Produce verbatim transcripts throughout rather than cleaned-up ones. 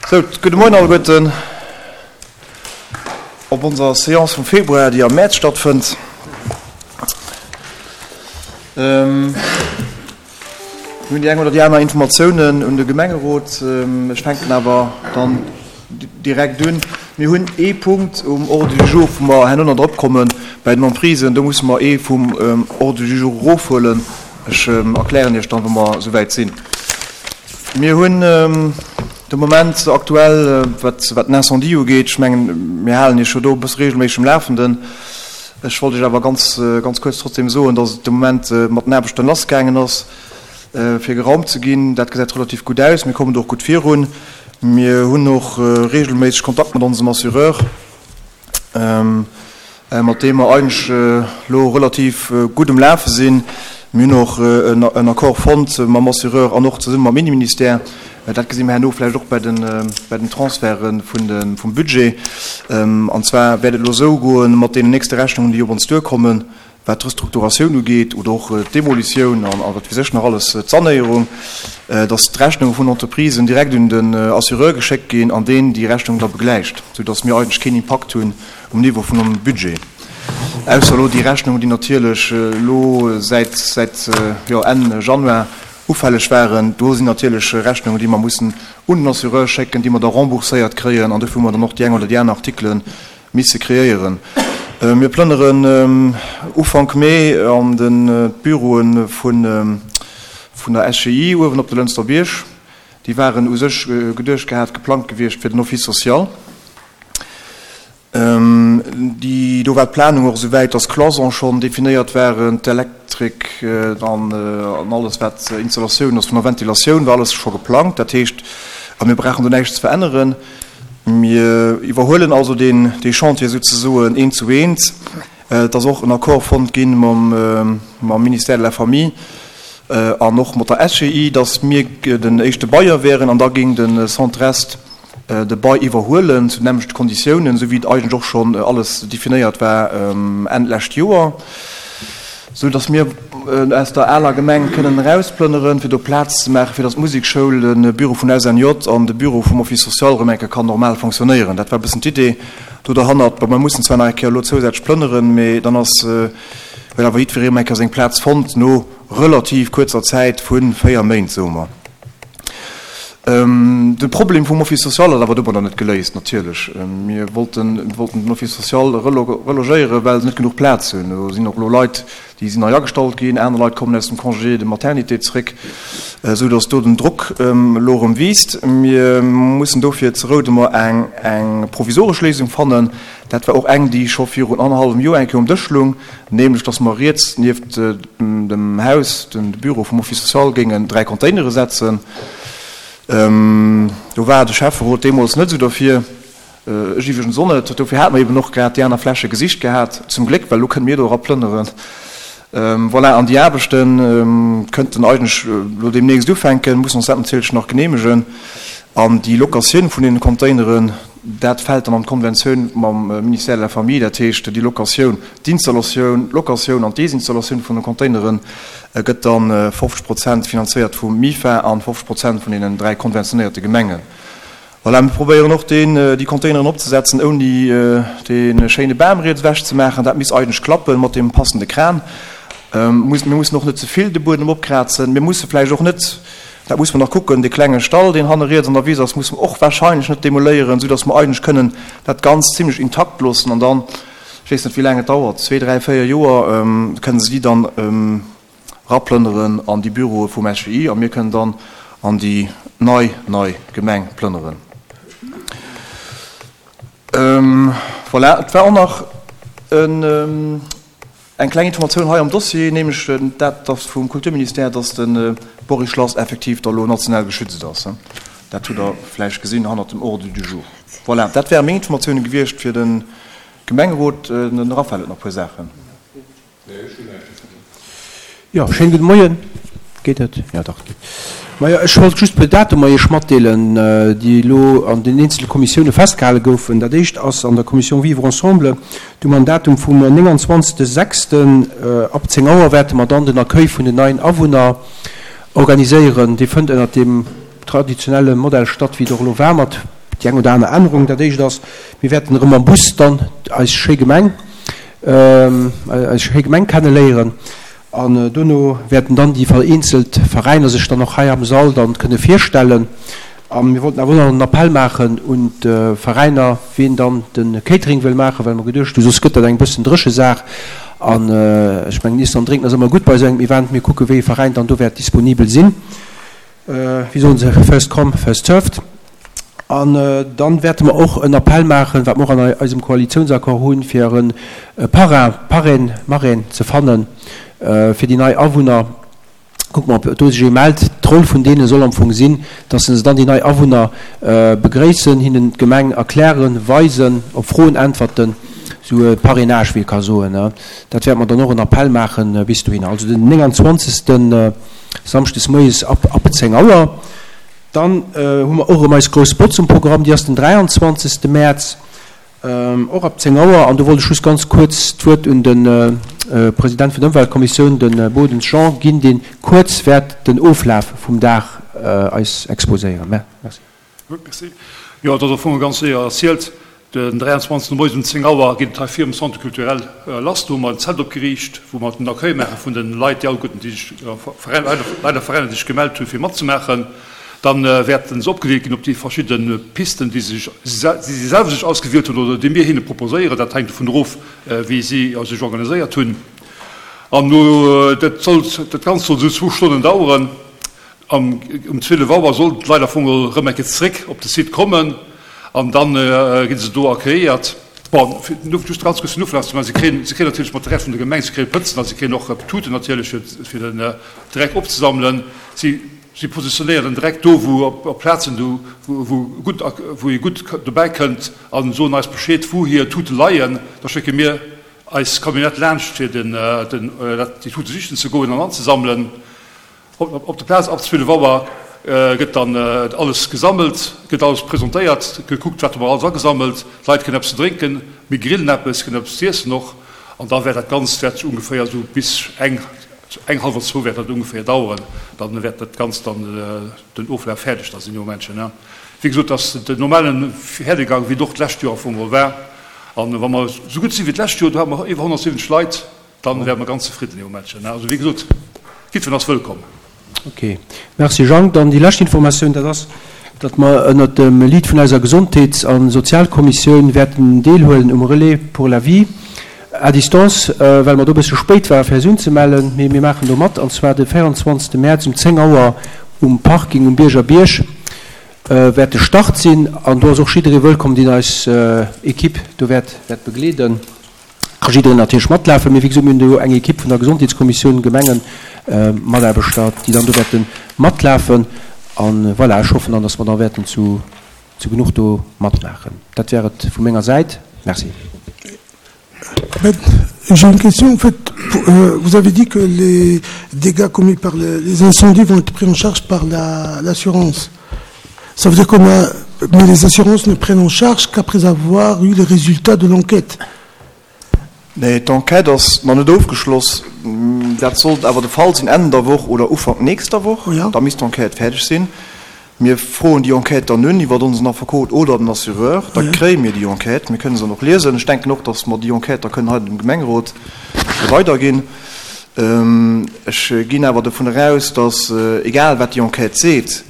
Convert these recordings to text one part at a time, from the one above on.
Sou, gudde Moien alleguerten op onser Seance vum Februar, déi am Mäerz stattfënnt. Mir hunn déi eng oder déi aner Informatiounen un de Gemengerot. Ech fänken awer dann direkt un. Mir hunn ee Punkt um Ordre du jour, wou mer herno nach drop kommen, bei den Emprisen. Do musse mer ee vum Ordre du jour erofhuelen. Ech erklären Iech dann, wa mer esouwäit sinn. Mir hunn de Moment aktuell, wat wat den Incendie ugeet, ech mengen, mir halen Iech jo do e bësse regelméisseg um Lafenden. Ech wollt Iech awer ganz, ganz kuerz trotzdem soen, dass et de Moment mat den Aarbechten lassgaangen ass, fir geraumt ze ginn. Dat gesäit relativ gutt aus. Mir kommen do och gutt virun. Mir hunn och regelméisseg Kontakt mat onsem Assureur, mat deem mer eigentlech elo relativ gutt um Lafe sinn. Mir hunn och en Accord fonnt mam Assureur an och zesumme mam Inneministère. Dat gesi mer herno vläicht och bei den Transferte vum Budget. An zwar wäert et elo esou goen, mat deenen nächste Rechnungen, déi op ons duerkommen, wat d'Restrukturatioun ugeet oder och d'Demolitioun an wat weess ech nach alles, d'Sanéierung, dass d'Rechnunge vun Entreprisen direkt un den Assureur geschéckt ginn an deen déi Rechnung da begläicht, soudass mir eigentlech keen Impakt hunn um Niveau vun onsem Budget, ausser elo déi Rechnungen, déi natierlech elo säit säit jo Enn Januar ufälleg waren. Do sinn natierlech Rechnungen, déi mer mussen un den Assureur schécken, déi mer da rembourséiert kréien, an dofir hu mer dann och déi eng oder déi aner Artikele misse kreéieren. Mir plënneren Ufank Mee an de d'Büroe vun vun der S G I uewen op de Lënster Bierg. Déi waren u sech geduecht gehat, geplangt gewiescht fir den Office social. Déi, do war d'Planung och esou wäit, dass d'Cloisons schonn definéiert waren, d'Elektrik an alles wat Installatioun ass vun der Ventilatioun war alles scho geplangt. Dat heescht, a mir brauchen do näischt ze veränneren. Mir iwwerhuelen also deen, dee Chantier souzesoen eent zu eent. Et ass och en Accord fonnt gi mam, mam Ministère de la Famille an och mat der S G I, dass mir den éischte Bailleur wären an da géing de Centre-Est de Bail iwwerhuelen zu den nämmlechte Konditiounen, esou wéi et eigentlech och schonn alles definéiert war Enn d'lescht Joer, esou dass mir aus der aler Gemeng kënnen erausplënneren, fir do Plaz ze maachen, fir dass d'Musekschoul, de Büro vun S N J an de Büro vum Office social erëm eng Kéier kann normal fonctionnéieren. Dat war e bëssen d'Idee do derhannert. Bon, mir mussen zwar nach eng Kéier elo zousätzlech plënneren, mee dann ass, huet awer jiddweree erëm eng Kéier seng Plaz fonnt no relativ kuerzer Zäit vu véier Méint, soe mer. De Problem vum Office social ass awer domadder net geléist, natierlech. Mir wollten, wollten den Office social relogéieren, well se net genuch Plaz hunn. Do sinn och elo Leit, déi sinn nei agestallt ginn, aner Leit kommen aus dem Congé de maternité zréck, esou datt do den Drock elo erëm wiisst. Mir mussen dofir zu Roudemer eng, eng provisoresch Léisung fannen. Dat war och eng, déi scho virun annerhallwem Joer eng Kéier um Dësch lung, nämlech datt mer riets nieft dem Haus, dem Büro vum Office social, géingen dräi Containere setzen. Do war de Schäfferot deemools net esou derfir, ech iwwregens och net. Dofir hate mer eben och grad déi aner Fläche gesicht gehat, zum Gléck, well elo kënne mir do era plënneren. Voilà, an déi Aarbechte kënnten eigentlech elo deemnächst ufänken, mussen ons dat natierlech nach geneemegen. An déi Locatioun vun deene Containeren, dat fält dann an d'Konventioun mam Ministère de la Famille, dat heescht déi Locatioun, d'Installatioun, d'Locatioun an d'Desinstallatioun vun de Containere gëtt da fofzeg Prozent finanzéiert vum MIFA an fofzeg Prozent vun deenen dräi konventionéierte Gemengen. Voilà, mir probéieren och deen, déi Containeren opzesetzen, ouni dee schéine Bam riets ewech ze maachen. Dat misst eigentlech klappen mat deem passende Kran. Mir mussen och net ze vill de Buedem opkrazen. Mir musse vläicht och net, dat muss mer nach kucken, dee klenge Stall, deen hanne riets an der Wiss ass, musse mer och wahrscheinlech net demoléieren, soudass mer eigentlech kënnen dat Ganzt zimlech intakt loossen an dann, ech weess net wéi laang et dauert, zwee, dräi, véier Joer, kënnen se déi dann eraplënneren an déi Büroe vum S G I a mir kënnen dann an déi nei, nei Gemeng plënneren. Voilà, et war och nach en. Eng kleng Informatioun hei am Dossier, nämlech dat, dass vum Kulturministère, dass de Bory Schlass effektiv da lo national geschützt ass. Dat hutt Der vläicht gesinn hannert dem Ordre du jour. Voilà, dat wäre meng Informatiounen gewiescht fir de Gemengerot. Den Raphaël huet nach e puer Saachen. Jo, schéinen gudde Moien. Geet et? Jo, dach, et geet. Majo, ech wollt just e puer Datumer Iech matdeelen, déi elo an den eenzele Kommissioune festgehale goufen. Dat éischt ass an der Commission Vivre ensemble. Do hu mer en Datum vum nénganzwanzegste sechsten. Ab zéng Auer wäerte mer dann den Accueil vun den neien Awunner organiséieren. Dee fënnt ënnert deem traditionelle Modell statt, wéi et och elo war, mat déi eng oder aner Ännerung. Dat éischt ass, mir wäerten erëm am Bus dann eis schéi Gemeng, eis schéi Gemeng kenneléieren. An dono wäerten dann déi vereenzelt Veräiner sech dann och hei am Sall dann kënne virstellen. A mir wollten awer och nach en Appell maachen un d'Veräiner, wien dann de Catering wëll maachen, well mer geduecht hunn, soss gëtt dat eng bëssen dréche Saach. An ech mengen, Iessen an Drénken ass ëmmer gutt bei esou engem Event. Mir kucke wéi ee Veräin dann do wäert disponibel sinn. Wéi soen se, first come, first served. An dann wäerte mer och en Appell maachen, wat mer och an eisem Koalitiounsaccord hunn, fir e Parrain, Parraine, Marraine ze fannen fir déi nei Awunner. Kucke mer, ob do sech ee mellt. D'Roll vun deene soll am Fong sinn, dass se dann déi nei Awunner begréissen, hinnen d'Gemeng erklären, weisen, op Froen äntwerten, esou e Parrainage, wéi ee ka soen. Dat wäerte mer dann och en Appell maachen bis dohinner. Also den nénganzwanzegsten Samschdes moies ab ab zéng Auer. Dann hu mer och erëm eis grouss Botz um Programm, déi ass den dräianzwanzegste Mäerz, och ab zéng Auer. An do wollt ech just ganz kuerz d'Wuert un de President vun der Ëmweltkommissioun, de Bodens Jean, ginn, dee kuerz wäert den Oflaf vum Dag eis exposéieren. Merci. Gutt, merci. Jo, et ass am Fong ganz séier erzielt. Den dräianzwanzegsten moies um zéng Auer geet et hei virum Centre culturel lass. Do hu mer en Zelt opgeriicht, wou mer den Accueil maache vun de Leit, déi alleguerten, déi sech, Leit a Veräiner, déi sech gemellt hunn, fir matzemaachen. Dann wäerten se opgedeelt ginn op déi verschidde Pisten, déi si si selwer sech ausgewielt hunn oder déi mir hinne proposéieren. Dat hänkt dovun erof, wéi si sech organiséiert hunn. An no, dat soll, dat Ganzt soll esou zwou Stonnen daueren. Am um zwielef Auer sollten d'Leit am Fong erëm eng Kéier zeréck op de Site kommen an da gi se do accueilléiert. Bon, fir just ganz kuerz den Oflaf ze maachen, Si kréien, si kréien natierlech Material vun der Gemeng, si kréie Pëtzen a si kréien och Tuten natierlech, fir, fir den Dreck opzesammelen. Si, si positionéieren den Dreck do, wou op, op Plazen, do, wou, wou gutt, wou ee gutt dobäi kënnt a soen eis Bescheed, wou hir Tute leien. Da schécke mir eis Camionnette laanscht, fir den, den, dat, déi Tute sichen ze goen an anzesammelen. Op der Plaz ab zwielef Auer gëtt dann alles gesammelt, gëtt alles presentéiert, gekuckt, wat hu mer alles agesammelt. D'Leit kréien eppes ze drénken, mir grillen eppes, kréien eppes z'iessen och. An da wäert dat Ganzt wäert sech ongeféier esou bis eng, eng hallwer zwou wäert dat ongeféier daueren. Da wäert dat Ganzt dann den Oflaf fäerdeg da sinn, jo Männchen, ne? Wéi gesot, dat ass den normale Werdegang, wéi et och d'lescht Joer am Fong geholl war. An wa mer esou gutt si wéi d'lescht Joer, do hate mer iwwer honnertsiwwenzeg Leit, Dann wäre mer ganz zefridden, Här Männchen. Also, wéi gesot, jiddwereen ass wëllkomm. Ok. Merci, Jang. Dann déi lescht Informatioun, dat ass, datt mer ënnert dem Lead vun eiser Gesondheets a Sozialkommissioun wäerten deelhuelen um Relais pour la vie à distance, well mer do e bëssche spéit ware fir eis unzemellen. Mee mir maachen do mat, an zwar de véierundzwanzegste Mäerz um zéng Auer um Parking um Bierger Bierg wäert de Start sinn. An do ass och jidderee wëllkomm, deen eis Equipe do wäert begleeden. Ka jiddereen natierlech matlafen, mee wéi gesot, mir hunn do eng Ekipp vun der Gesondheetskommissioun, Gemengemataarbechter, déi dann do wäerte matlafen. A voilà, ech hoffen dann, dass mer da wäerten zu genuch do matmaachen. Dat wär et vu menger Säit. Merci. J'ai une question. En fait, vous avez dit que les dégâts commis par les incendies vont être pris en charge par l'assurance. Ça veut dire qu'on a, mais les assurances ne prennent en charge qu'après avoir eu les résultats de l'enquête. Nee, d'Enquête ass nach net ofgeschloss. Dat sollt awer de Fall sinn Enn der Woch oder Ufank nächster Woch. Da misst d'Enquête fäerdeg sinn. Mir froen déi Enquête dann un iwwer onsen Affekot oder den Assureur. Da kréie mir déi Enquête. Mir kënne se dann och liesen. Ech denken och, datt mer déi Enquête da kënnen hei dem Gemengerot weiderginn. Ech ginn awer dovun eraus, datt, egal wat déi Enquête seet,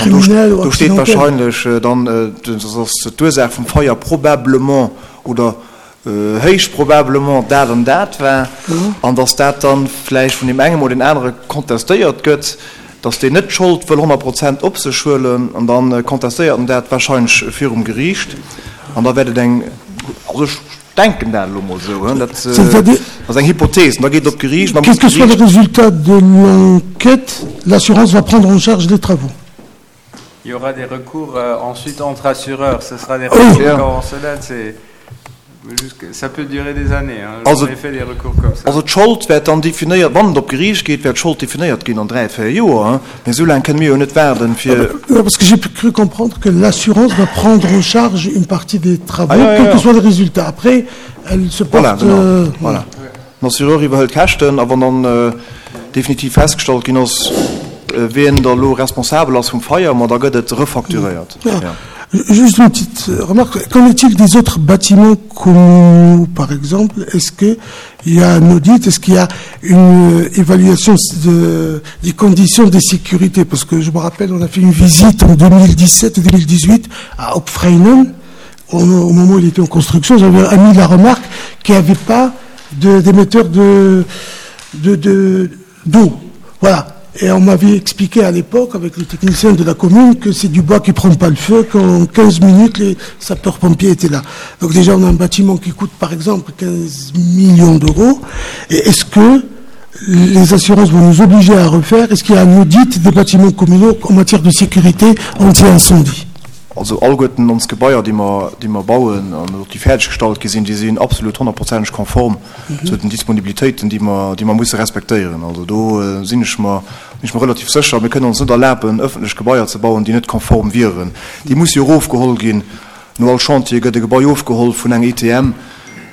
an do steet wahrscheinlech dann, datt d'Ursaach vum Feier probablement oder héich probablement dat an dat war, an datt dat dann vläicht vun deem engem oder deem anere contestéiert gëtt, datt deen net d'Schold wëll honnert Prozent op sech huelen, an da contestéiert en dat wahrscheinlech virum Geriicht, an da wäert et eng, also ech denken dat elo mol esou, dat ass eng Hypothese, an da geet et op d'Geriicht, an da muss Quel que soit le d'Geriicht. résultat de l'enquête, l'assurance va prendre en charge les travaux. Il y aura des recours euh, ensuite entre assureurs, ce sera des recours conventionnels, c'est ça peut durer des années, hein. J'en ai fait des recours comme ça. Also d'Schold wäert dann definéiert, wann et op d'Geriicht geet, wäert d'Schold definéiert ginn an dräi, véier Joer, hein. Mee esou laang kënne mir jo net waarden, fir. Non, parce que j'ai cru comprendre que l'assurance va prendre en charge une partie des travaux, quel que soit le résultat. Après, elle se porte. Voilà, genau, voilà. Den Assureur iwwerhëlt d'Käschten a wann dann definitiv festgestallt ginn ass, wien da elo responsabel ass vum Feier, ma da gëtt et refacturéiert. Ja. Juste une petite remarque. Qu'en est-il des autres bâtiments communaux, par exemple? Est-ce qu'il y a un audit? Est-ce qu'il y a une évaluation de, des conditions de sécurité? Parce que je me rappelle, on a fait une visite en deux mille dix-sept et deux mille dix-huit à Opfreinen. Au, au moment où il était en construction, j'avais mis la remarque qu'il n'y avait pas d'émetteur de, de, de, d'eau. Voilà. Et on m'avait expliqué à l'époque, avec le technicien de la commune, que c'est du bois qui prend pas le feu, qu'en quinze minutes, les sapeurs-pompiers étaient là. Donc déjà, on a un bâtiment qui coûte, par exemple, quinze millions d'euros. Et est-ce que les assurances vont nous obliger à refaire? Est-ce qu'il y a un audit des bâtiments communaux en matière de sécurité anti-incendie? Also alleguerten ons Gebaier, déi mer, déi mer bauen an och déi fertiggestallt gi sinn, déi sinn absolut honnertprozenteg konform Mhm. zu den Disponibilitéiten, déi mer, déi mer musse respektéieren. Also do, äh, sinn ech mer, sinn ech mer relativ sécher, mir kënnen ons net erlaben, öffentlech Gebaier ze bauen, déi net konform wieren. Déi muss jo ofgeholl ginn. No all Chantier gëtt e Gebai ofgeholl vun engem I T M,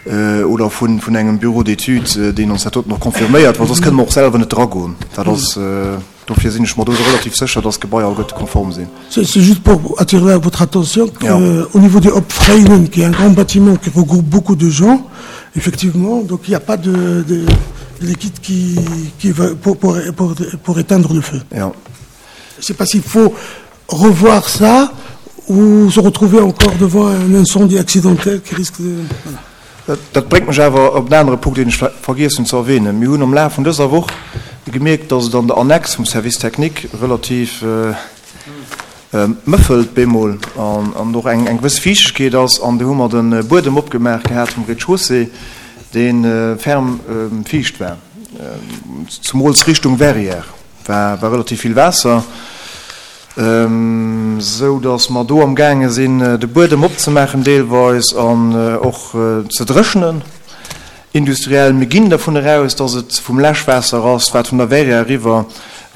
äh, oder vun, vun engem Büro d'études, äh, deen ons dat dort noch confirméiert, well sonst kënnen mer och selwer net dragoen. Dat ass, äh, dofir sinn ech mer do relativ sécher, dass Gebaier alleguerte konform sinn. C'est, c'est juste pour attirer votre attention que, Ja. euh, au niveau de Hopfreinen, qui est un grand bâtiment qui regroupe beaucoup de gens, effectivement, donc il n'y a pas de, de, de liquide qui, qui va pour, pour, pour, pour éteindre le feu. Ja. Je ne sais pas s'il faut revoir ça ou se retrouver encore devant un incendie accidentel qui risque de... Voilà. Dat, dat bringt mech awer op en anere Punkt, den ech ver-, vergessen zu erwähnen. Mir hunn am Laf vun dëser Woch gemerkt, dass et an der Annex vum Service Technique relativ, äh, äh, mëffelt bemol an, an noch eng, eng gewisse Fichtigkeit ass, an do hu mer den, äh, Buedem opgemacht gehabt vom Rez-de-Chaussée, den, äh, ferm, ähm, ficht war. Ähm, zumols Richtung Verrières war, war relativ viel Wasser. Ähm, so dass mer do am Gange sinn, äh, de Buedem opzemachen deelweis an, äh, och, äh, ze drëschnen. Industriell, mir ginn davon heraus, dass et vum Läschwasser ass, wat vun der Verrières riwwer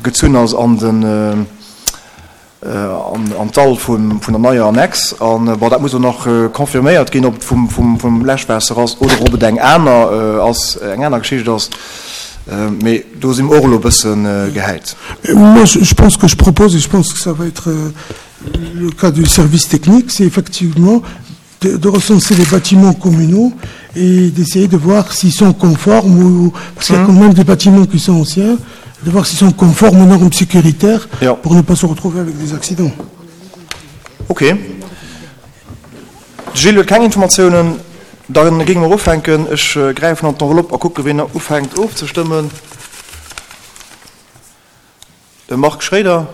gezunn ass an den, äh, äh, an, an Dall vun, vun der neier Annex. An, äh, bon, dat muss auch nach, äh, confirméiert ginn, ob et vum, vum, vum Läschwasser ass oder ob et eng aner, äh, ass, eng aner Geschicht ass. Euh, mais do sinn och lo bëssen, äh, gehäit. Euh, moi, je, je pense que je propose, et je pense que ça va être, euh, le cas du service technique, c'est effectivement de, de recenser les bâtiments communaux et d'essayer de voir s'ils sont conformes, ou, parce qu'il y a Mhm. quand même des bâtiments qui sont anciens, de voir s'ils sont conformes aux normes sécuritaires Ja. pour ne pas se retrouver avec des accidents. Ok. Gilles huet keng Informationen. Dann gingen wir ufänken. Ich, äh, greife an d'Enveloppe a gucke, wen er ufänkt aufzustimmen. Der Marc Schroeder.